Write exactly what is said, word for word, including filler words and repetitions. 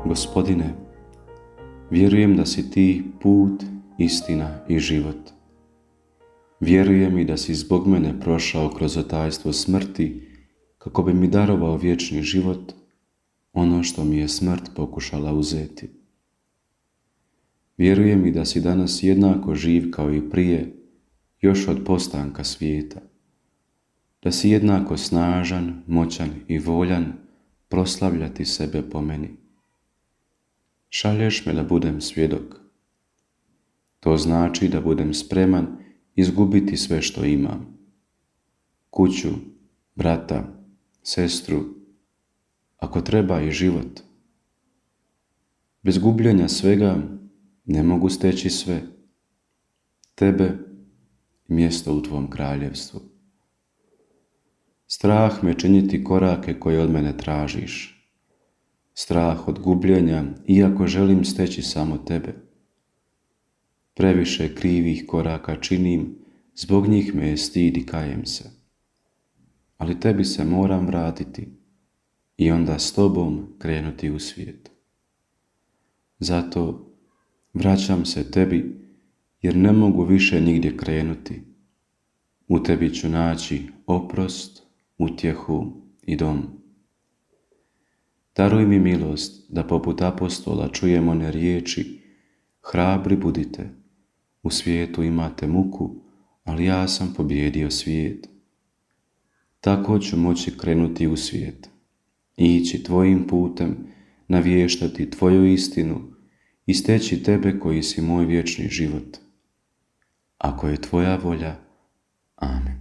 Gospodine, vjerujem da si ti put, istina i život. Vjerujem i da si zbog mene prošao kroz otajstvo smrti kako bi mi darovao vječni život, ono što mi je smrt pokušala uzeti. Vjerujem i da si danas jednako živ kao i prije, još od postanka svijeta. Da si jednako snažan, moćan i voljan proslavljati sebe po meni. Šalješ me da budem svjedok. To znači da budem spreman izgubiti sve što imam. Kuću, brata, sestru, ako treba i život. Bez gubljenja svega ne mogu steći sve. Tebe i mjesto u tvom kraljevstvu. Strah me činiti korake koje od mene tražiš. Strah od gubljenja, iako želim steći samo tebe. Previše krivih koraka činim, zbog njih me je stid i kajem se. Ali tebi se moram vratiti i onda s tobom krenuti u svijet. Zato vraćam se tebi, jer ne mogu više nigdje krenuti. U tebi ću naći oprost, utjehu i dom. Daruj mi milost da poput apostola čujem one riječi: hrabri budite, u svijetu imate muku, ali ja sam pobijedio svijet. Tako ću moći krenuti u svijet, ići tvojim putem, navještati tvoju istinu i steći tebe koji si moj vječni život. Ako je tvoja volja, amen.